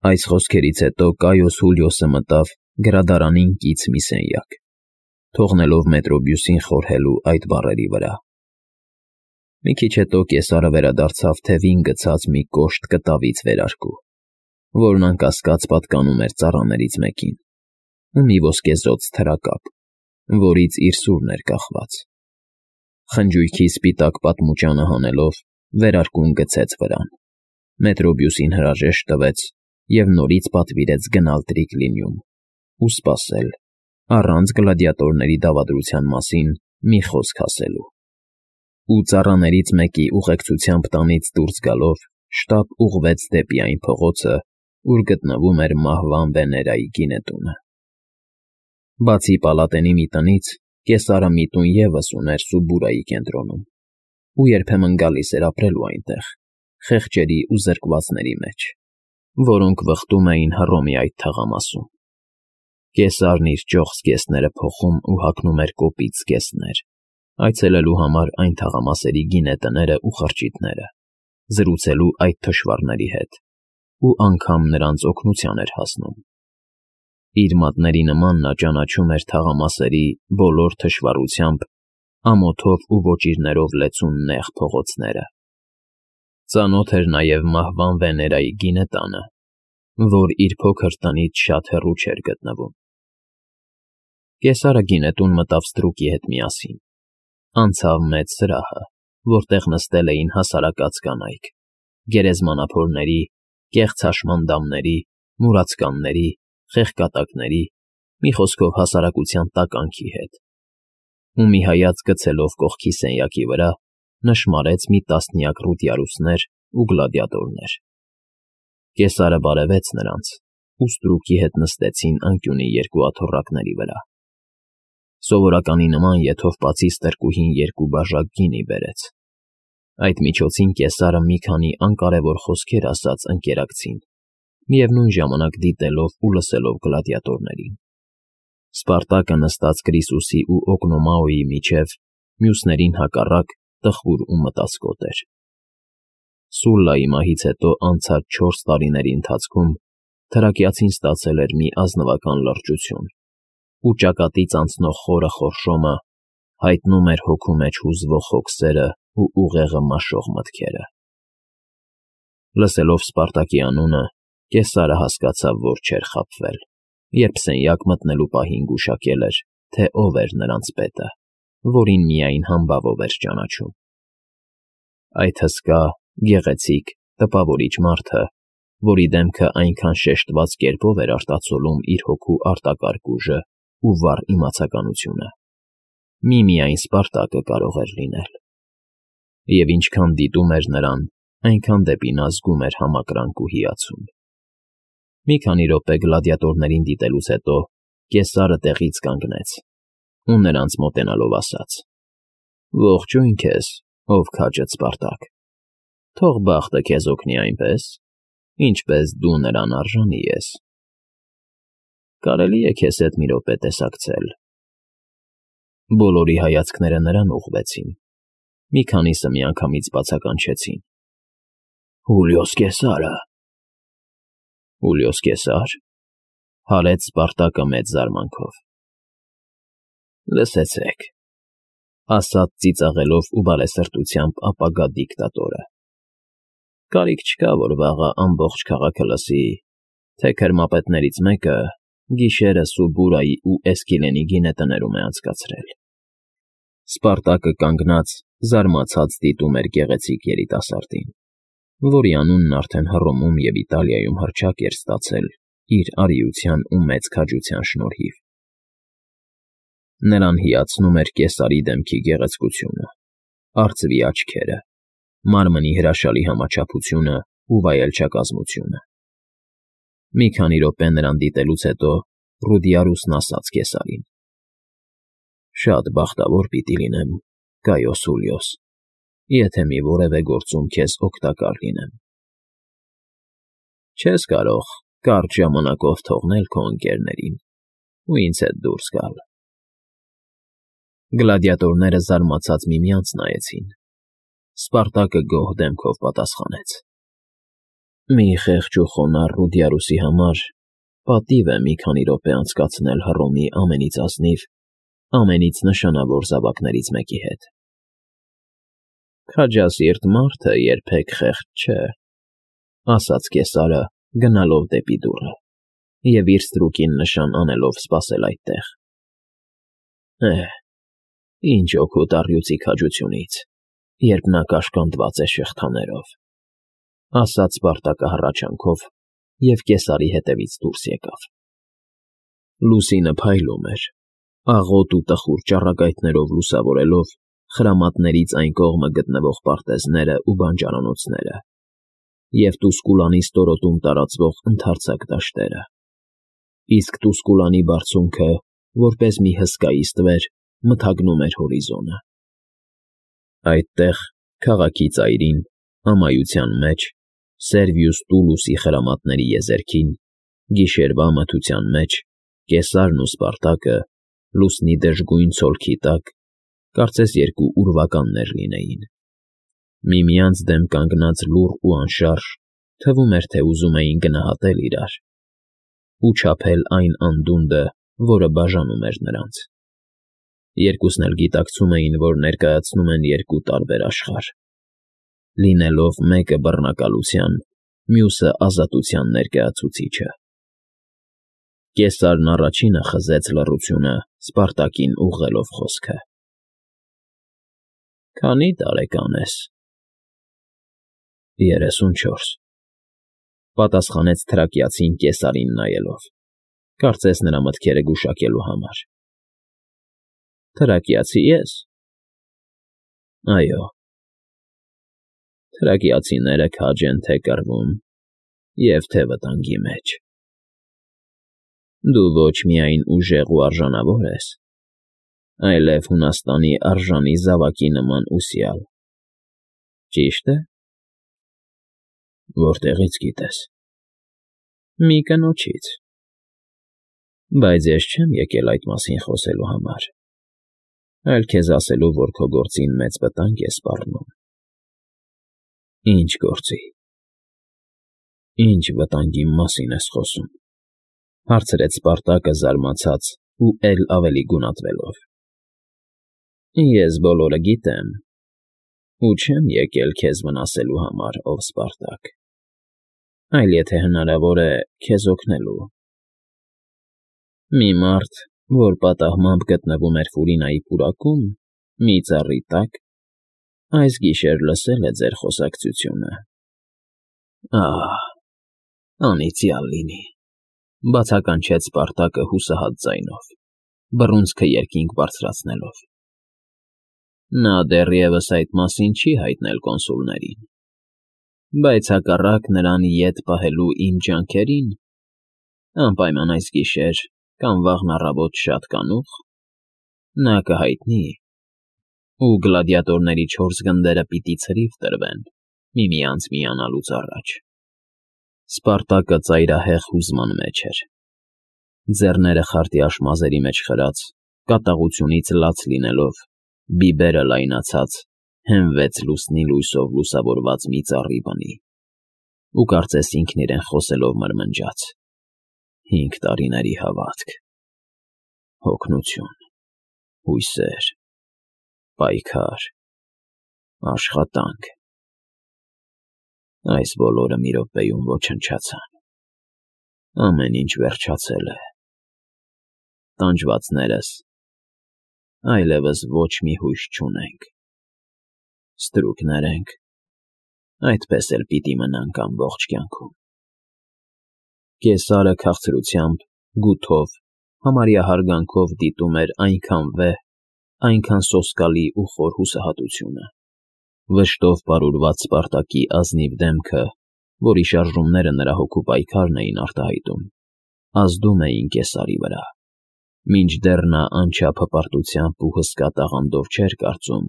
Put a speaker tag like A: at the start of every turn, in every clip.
A: Այս խոսքերից հետո Կայոս Հուլիոսը մտավ գրադարանին կից մի սենյակ, թողնելով Մետրոբյուսին խորհելու այդ բառերի վրա։ Մի քիչ հետո կեսարը վերադարձավ թևին գցած մի կոշտ կտավից վերարկու, որն անկասկած պատկանում էր ծառաներից մեկին, ու մի ոսկեզօծ թրակապ, որից իր սուրն էր կախված։ Խնջույքի սպիտակ պատմուճանը հանելով, վերարկուն գցեց վրան, Մետրոբյուսին հրաժեշտ տվեց և նորից պատվիրեց գնալ Տրիկլինիում ու սպասել, առանց գլադիատորների դավադրության մասին մի խոսք ասելու։ Ու ծառաներից մեկի ուղեկցությամբ տանից դուրս գալով, շտապ ուղղվեց դեպի այն փողոցը, ուր գտնվում էր մահվան Վեներայի գինետունը։ Բացի պալատենի մի տնից, կեսարը մի տուն ևս ուներ Սուբուրայի կենտրոնում, ու երբեմն գալիս էր ապրելու այնտեղ, խեղճերի ու զրկվածների մեջ, որոնք վխտում էին Հռոմի այդ թաղամասում։ Կեսարն իր ճոխ զգեստները փոխում ու հագնում էր կոպիտ զգեստներ, այցելելու համար այն թաղամասերի գինետները ու խրճիթները, զրուցելու այդ թշվառների հետ, ու անգամ նրանց օգնության էր հասնում։ Իր մատների նման նա ճանաչում էր թաղամասերի բոլոր թշվառությամբ, ամոթով ու ոճիրներով լեցուն նեղ փողոցները։ Ծանոթ էր նաև մահվան Վեներայի գինետանը, որ իր փոքր տնից շատ հեռու չէր գտնվում։ Կեսարը գինետուն մտավ ստրուկի հետ միասին, անցավ մեծ սրահը, որտեղ նստել էին հասարակած կանայք, գերեզմանափորների, կեղծ հաշմանդամների, մուրացկանների, խեղկատակների, մի խոսքով հասարակության տականքի հետ, ու մի հայացք գցելով կողքի սենյակի վրա, նշմարեց մի տասնյակ ռուդիարուսներ ու գլադիատորներ։ Կեսարը բարևեց նրանց, ու ստրուկի հետ նստեցին անկյունի երկու աթոռակների վրա։ Սովորականի նման եթովպացի ստրկուհին երկու բաժակ գինի բերեց։ Այդ միջոցին կեսարը մի քանի անկարևոր խոսքեր ասաց ընկերակցին, միևնույն ժամանակ դիտելով ու լսելով գլադիատորներին։ Սպարտակը նստած Կրիսուսի ու Օկնոմաոյի միջև, մյուսներին հակառակ, տխուր ու մտածկոտ էր։ Սուլլայի մահից հետո անցած 4 տարիների ընթացքում թրակիացին ստացել էր մի ազնվական լրջություն, ու ճակատից անցնող խորը խորշոմը հայտնում էր հոգու մեջ հուզվող հոգսերը ու ուղեղը մաշող մտքերը։ Լսելով Սպարտակի անունը, Կեսարը հասկացավ, որ չէր խաբվել, երբ սենյակ մտնելու պահին գուշակել էր, թե ով էր նրանց պետը, որին միայն համբավով էր ճանաչում։ Այդ հսկա, գեղեցիկ, տպավորիչ մարդը, որի դեմքը այնքան շեշտված կերպով էր արտացոլում իր հոգու արտակարգ ուժը ու վառ իմացականությունը, միմիայն Սպարտակը կարող էր լինել։ Եվ ինչքան դիտում էր նրան, այնքան դեպի նա զգում էր համակրանք ու հիացում։ Մի քանի րոպե գլադիատորներին դիտելուց հետո Կեսարը տեղից կանգնեց ու նրանց մոտենալով ասաց. «Ողջույն քեզ, ով քաջդ Սպարտակ, թող բախտը քեզ օգնի այնպես, ինչպես դու նրան արժանի ես։ Կարելի է քեզ հետ մի րոպե տեսակցել»։ Բոլորի հայացքները նրան ուղղվեցին, մի քանիսը միանգամից բացականչեցին. «Հուլիոս Կեսարը»։ «Հուլիոս Կեսա՞ր», հարեց Սպարտակը մեծ զարմանքով։ «Լսեցեք», ասաց ծիծաղելով ու բարեսրտությամբ ապագա դիկտատորը. «կարիք չկա, որ վաղը ամբողջ քաղաքը լսի, թե քրմապետներից մեկը գիշերը Սուբուրայի ու Էսկիլենի գինետներում է անցկացրել»։ Սպարտակը կանգնած, զարմացած դիտում էր գեղեցիկ երիտասարդին, որի անունն արդեն Հռոմում և Իտալիայում հռչակ էր ստացել իր արիության ու մեծ քաջության շնորհիվ։ Նրան հիացնում էր Կեսարի դեմքի գեղեցկությունը, արծվի աչքերը, մարմնի հրաշալի համաչափությունը ու վայելչակազմությունը։ Մի քանի րոպե նրան դիտելուց հետո Ռուդիարուսն ասաց Կեսարին. «Շատ բախտավոր պիտի լինեմ, Կայոս Հուլիոս, եթե մի որևէ գործում քեզ օգտակար լինեմ»։ «Չես կարող կարճ ժամանակով թողնել քո ընկերներին ու ինձ հետ դուրս գալ»։ Գլադիատորները զարմացած միմյանց նայեցին։ Սպարտակը գոհ դեմքով պատասխանեց. Մի խեղճ ու խոնարհ Ռուդիարուսի համար պատիվ է մի քանի րոպե անցկացնել Հռոմի ամենից ազնիվ, ամենից նշանավոր զավակներից մեկի հետ։ Քաջասիրտ մարդը երբեք խեղճ չէ, ասաց կեսարը, գնալով դեպի դուռը և իր ստրուկին նշան անելով սպասել այդտեղ։ Ինչ օգուտ առյուծի քաջությունից, երբ նա կաշկանդված է շղթաներով, ասաց Սպարտակը հառաչանքով և կեսարի հետևից դուրս եկավ։ Լուսինը փայլում էր, աղոտ ու տխուր ճառագայթներով լուսավորելով խրամատներից այն կողմը գտնվող պարտեզները ու բանջարանոցները և Տուսկուլանի ստորոտում տարածվող ընդարձակ դաշտերը, իսկ Տուսկուլանի բարձունքը, որպես մի հսկայի ստվեր, մթագնում էր հորիզոնը։ Այդտեղ, քաղաքի ծայրին, ամայության մեջ, Սերվիուս Տուլուսի խրամատների եզերքին, գիշերվա մթության մեջ, կեսարն ու Սպարտակը, լուսնի դժգույն ցոլքի տակ, կարծես երկու ուրվականներ լինեին, միմյանց դեմ կանգնած լուռ ու անշարժ, թվում էր, թե ուզում էին գնահատել իրար ու չափել այն անդունդը, որը բաժանում էր նրանց։ Երկուսն էլ գիտակցում էին, որ ներկայացնում են երկու տարբեր աշխարհ, լինելով մեկը բռնակալության, մյուսը ազատության ներկայացուցիչը։ Կեսարն առաջինը խզեց լռությունը Սպարտակին ուղղելով խոսքը։ Քանի՞ տարեկան ես։ 34, պատասխանեց թրակիացին կեսարին նայելով, կարծես նրա մտքերը գուշակելու համար։ Թրակիացի ես։ Այո։ Թրակիացիները քաջ են թե կռվում և թե վտանգի մեջ։ Դու ոչ միայն ուժեղ ու արժանավոր ես, այլև Հունաստանի արժանի զավակի նման ուսյալ, ճի՞շտ է։ Որտեղի՞ց գիտես։ Մի կնոջից։ Բայց ես չեմ եկել այդ մասին խոսելու համար, այլ քեզ ասելու, որ քո գործին մեծ վտանգ է սպառնում։ Ինչ գործի։ Ինչ վտանգի մասին ես խոսում, հարցրեց Սպարտակը զարմացած ու էլ ավելի գունատվելով։ Ես բոլորը գիտեմ ու չեմ եկել քեզ վնասելու համար, ով Սպարտակ, այլ եթե հնարավոր է, քեզ օգնելու։ Մի մարդ, որ պատահմամբ գտնվում էր Ֆուրինայի պուրակում, մի ծառի տակ, այս գիշեր լսել է ձեր խոսակցությունը։ Անիծյալ լինի, բացականչեց Սպարտակը հուսահատ ձայնով, բռունցքը երկինք բարձրացնելով։ Նա դեռևս այդ մասին չի հայտնել կոնսուլներին, բայց հակառակ նրան ետ պահելու իմ ջանքերին, անպայման այս գիշեր կամ վաղն առավոտ շատ կանուխ, նա կհայտնի, ու գլադիատորների 4 գնդերը պիտի ցրիվ տրվեն միմյանց միանալուց առաջ։ Սպարտակը ծայրահեղ հուզման մեջ էր, ձեռները խարտի աշմազերի մեջ խրած, կատաղությունից լաց լինելով, բիբերը լայնացած, հենվեց լուսնի լույսով լուսավորված մի ծառի բնի ու կարծես ինքն իրեն խոսելով մրմնջաց. 5 տարիների հավատք, հոգնություն, հույսեր, պայքար, աշխատանք։ Այս բոլորը մի րոպեում ոչնչացան։ Ամեն ինչ վերջացել է։ Տանջվածներս այլևս ոչ մի հույս չունենք։ Ստրուկներ ենք, այդպես էլ պիտի մնանք ամբողջ կյանքում։ Կեսարը քաղցրությամբ, գութով, համարյա հարգանքով դիտում էր այնքան վեհ, այնքան սոսկալի ու խոր հուսահատությունը, վշտով պարուրված Սպարտակի ազնիվ դեմքը, որի շարժումները նրա հոգու պայքարն էին արտահայտում, ազդում էին կեսարի վրա, մինչդեռ նա անչափ հպարտությամբ ու հսկա տաղանդով չէր կարծում,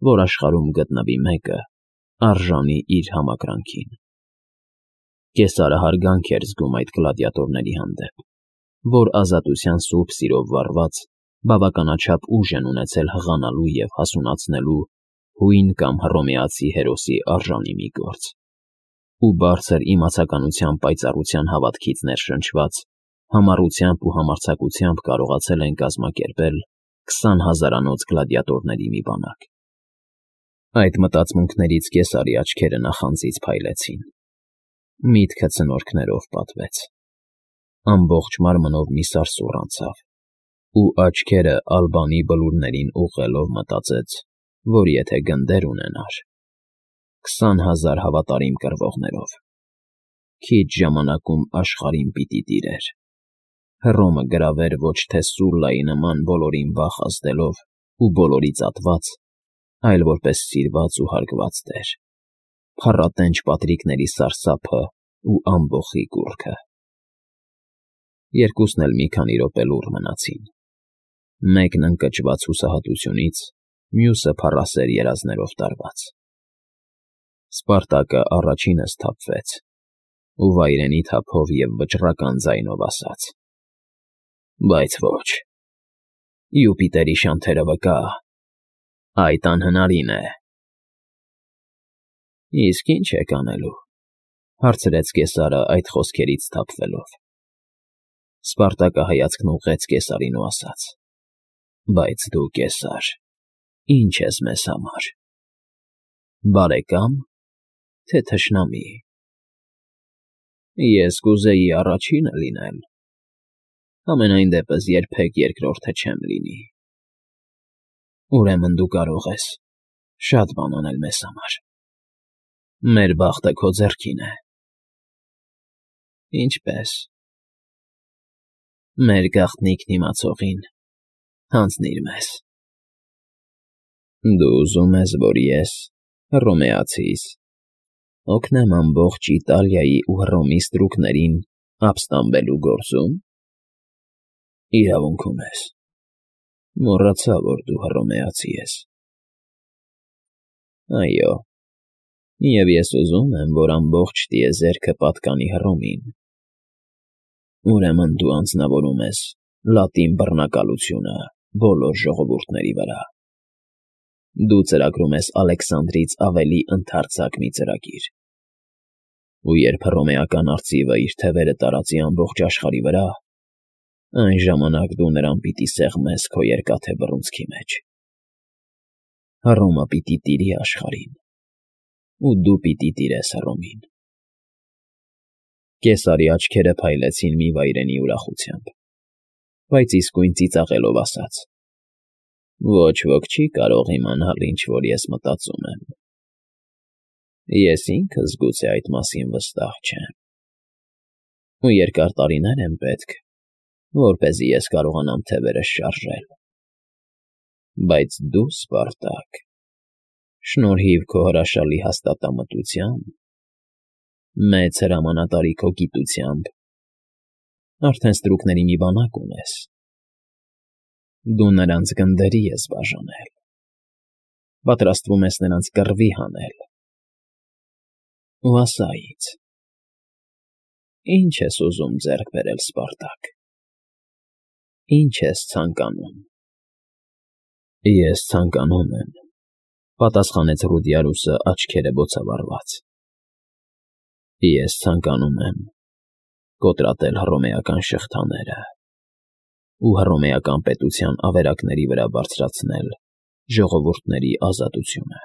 A: որ աշխարհում գտնվի մեկը, արժանի իր համակրանքին։ Կեսարը հարգանք էր զգում այդ գլադիատորների հանդեպ, որ ազատության սուրբ սիրով վառված, բավականաչափ ուժ են ունեցել հղանալու և հասունացնելու հույն կամ հռոմեացի հերոսի արժանի մի գործ։ ու բարձր իմացականության պայծառության հավատքից ներշնչված, համառությամբ ու համարձակությամբ կարողացել են կազմակերպել 20,000-անոց գլադիատորների մի բանակ։ Այդ մտածմունքներից Կեսարի աչքերը նախանձից փայլեցին։ Միտքը ցնորքներով պատվեց։ Ամբողջ մարմնով մի սարսուռ անցավ, ու աչքերը Ալբանի բլուրներին ուղղելով մտածեց, որ եթե գնդեր ունենար 20,000 հավատարիմ կռվողներով, քիչ ժամանակում աշխարհին պիտի տիրեր, Հռոմը գրավեր ոչ թե Սուլլայի նման բոլորին վախ ազդելով ու բոլորից ատված, այլ որպես սիրված ու հարգված տեր, փառատենչ պատրիկների սարսափը ու ամբոխի կուռքը։ Երկուսն էլ մի քանի րոպե լուռ մնացին, մեկն ընկճված հուսահատությունից, մյուսը փառասեր երազներով տարված։ Սպարտակը առաջինը սթափվեց ու վայրենի թափով և վճռական ձայնով ասաց. «Բայց ոչ, Յուպիտերի շանթերը վկա, այդ անհնարին է»։ «Իսկ ի՞նչ եք անելու», հարցրեց Կեսարը այդ խոսքերից սթափվելով։ Սպարտակը հայացքն ուղղեց Կեսարին ու ասաց. «Բայց դու, Կեսար, ի՞նչ ես մեզ համար, բարեկա՞մ, թե թշնամի»։ «Ես կուզեի առաջինը լինել, համենայն դեպս երբեք երկրորդը չեմ լինի»։ «Ուրեմն դու կարող ես շատ բան անել մեզ համար, մեր բախտը քո ձեռքին է»։ «Ինչպե՞ս»։ «Մեր գաղտնիքն իմացողին հանձնիր մեզ»։ «Դու ուզում ես, որ ես, հռոմեացիս, օգնեմ ամբողջ Իտալիայի ու Հռոմի ստրուկներին ապստամբելու գործում»։ «Իրավունք ունես, մոռացա, որ դու հռոմեացի ես»։ «Այո, և ես ուզում եմ, որ ամբողջ տիեզերքը պատկանի Հռոմին»։ «Ուրեմն դու անձնավորում ես լատին բռնակալությունը բոլոր ժողովուրդների վրա։ Դու ծրագրում ես Ալեքսանդրից ավելի ընդարձակ մի ծրագիր, ու երբ հռոմեական արծիվը իր թևերը տարածի ամբողջ աշխարհի վրա, այն ժամանակ դու նրան պիտի սեղմես քո երկաթե բռունցքի մեջ։ Հռոմը պիտի տիրի աշխարհին, ու դու պիտի տիրես Հռոմին»։ Կեսարի աչքերը փայլեցին մի վայրենի ուրախությամբ, բայց իսկույն ծիծաղելով ասաց. «Ոչ ոք չի կարող իմանալ, ինչ որ ես մտածում եմ։ Ես ինքս գուցե այդ մասին վստահ չեմ, ու երկար տարիներ են պետք, որպեսզի ես կարողանամ թևերս շարժել։ Բայց դու, Սպարտակ, շնորհիվ քո հրաշալի հաստատամտության, մեծ հրամանատարի քո գիտությամբ, արդեն ստրուկների մի բանակ ունես։ Դու նրանց գնդերի ես բաժանել, պատրաստվում ես նրանց կռվի հանել։ Ու ասա ինձ, ի՞նչ ես ուզում ձեռք բերել, Սպարտակ, ի՞նչ ես ցանկանում»։ «Ես ցանկանում եմ», պատասխանեց Ռուդիարուսը աչքերը բոցավառված։ «Ես ցանկանում եմ կոտրատել հռոմեական շղթաները ու հռոմեական պետության ավերակների վրա բարձրացնել ժողովուրդների ազատությունը։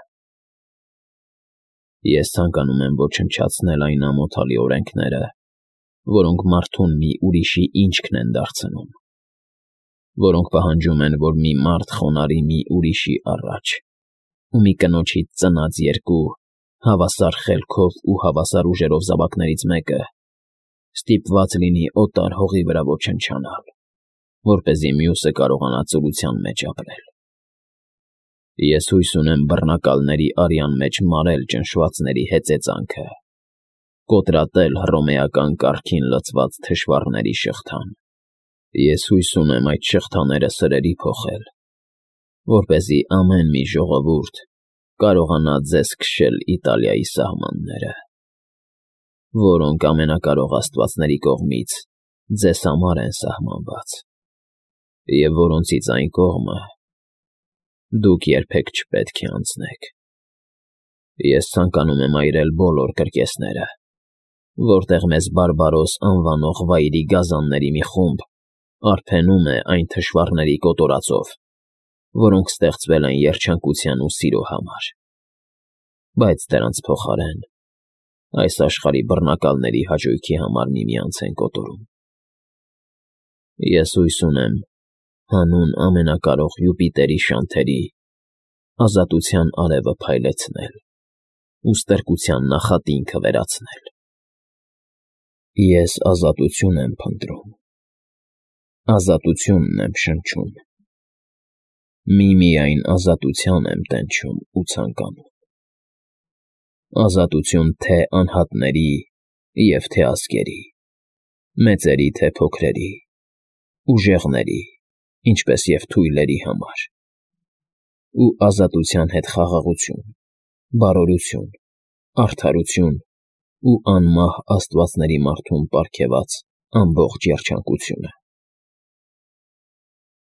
A: Ես ցանկանում եմ ոչնչացնել այն ամոթալի օրենքները, որոնք մարդուն մի ուրիշի ինչքն են դարձնում, որոնք պահանջում են, որ մի մարդ խոնարհի մի ուրիշի առաջ ու մի կնոջից ծնած երկու հավասար խելքով ու հավասար ուժերով զավակներից մեկը ստիպված լինի օտար հողի վրա ոչնչանալ, որպեսզի մյուսը կարողանա ծուլության մեջ ապրել։ Ես հույս ունեմ բռնակալների արյան մեջ մարել ճնշվածների հեծեծանքը, կոտրատել հռոմեական կարգին լծված թշվառների շղթան։ Ես հույս ունեմ այդ շղթաները սրերի փոխել, որպեսզի ամեն մի ժողովուրդ կարողանա ձեզ քշել Իտալիայի սահմանները, որոնք ամենակարող աստվածների կողմից ձեզ համար են սահմանված, և որոնցից այն կողմը դուք երբեք չպետք է անցնեք։ Ես ցանկանում եմ այրել բոլոր կրկեսները, որտեղ մեզ բարբարոս անվանող վայրի գազանների մի խումբ արբենում է այն թշվառների կոտորածով, որոնք ստեղծվել են երջանկության ու սիրո համար, բայց դրանց փոխարեն այս աշխարհի բռնակալների հաճույքի համար միմյանց են կոտորում։ Ես հույս ունեմ հանուն ամենակարող Յուպիտերի շանթերի ազատության արևը փայլեցնել ու ստրկության նախատինքը վերացնել։ Ես ազատություն եմ փնտրում, ազատությունն եմ շնչում, միմիայն ազատության եմ տենչում ու ցանկանում, ազատություն թե անհատների և թե ազգերի, մեծերի թե փոքրերի, ուժեղների, ինչպես և թույլերի համար, ու ազատության հետ խաղաղություն, բարօրություն, արդարություն ու անմահ աստվածների մարդուն պարգևած ամբողջ երջանկությունը։